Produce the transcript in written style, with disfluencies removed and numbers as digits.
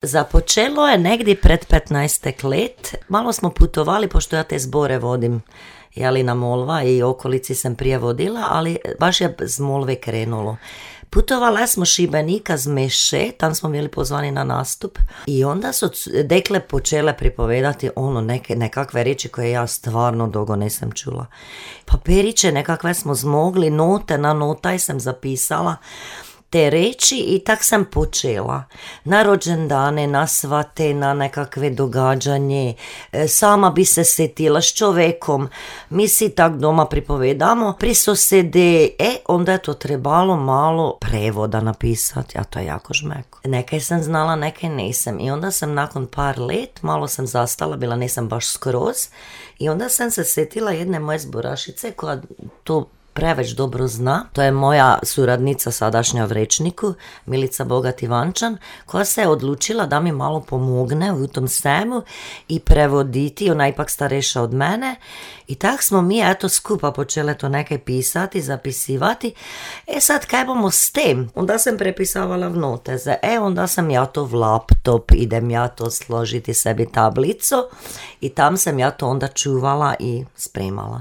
Započelo je negdje pred 15 let. Malo smo putovali, pošto ja te zbore vodim na Molva i okolici sam prije vodila, ali baš je z Molve krenulo. Putovala smo Šibenika z Meše, tam smo bili pozvani na nastup i onda su dekle počele pripovedati nekakve riječi koje ja stvarno dugo nisam čula. Papiriće nekakve smo zmogli, note na notaj sam zapisala te reči i tak sam počela. Na rođendane, na svate, na nekakve događanje, sama bi se setila s čovekom, mi si tak doma pripovedamo, pri sosede, onda je to trebalo malo prevoda napisati, a to je jako žmeko. Neke sam znala, neke nisam i onda sam nakon par let, malo sam zastala, bila nisam baš skroz i onda sam se setila jedne moje zborašice koja to preveć dobro zna. To je moja suradnica sadašnja v Rečniku, Milica Bogat Ivančan, koja se je odlučila da mi malo pomogne u tom svemu i prevoditi, ona je ipak stareša od mene i tak smo mi skupa počele to neke pisati, zapisivati. Sad kaj bomo s tem? Onda sam prepisavala v noteze, onda sam ja to v laptop, idem ja to složiti sebi tablico i tam sam ja to onda čuvala i spremala.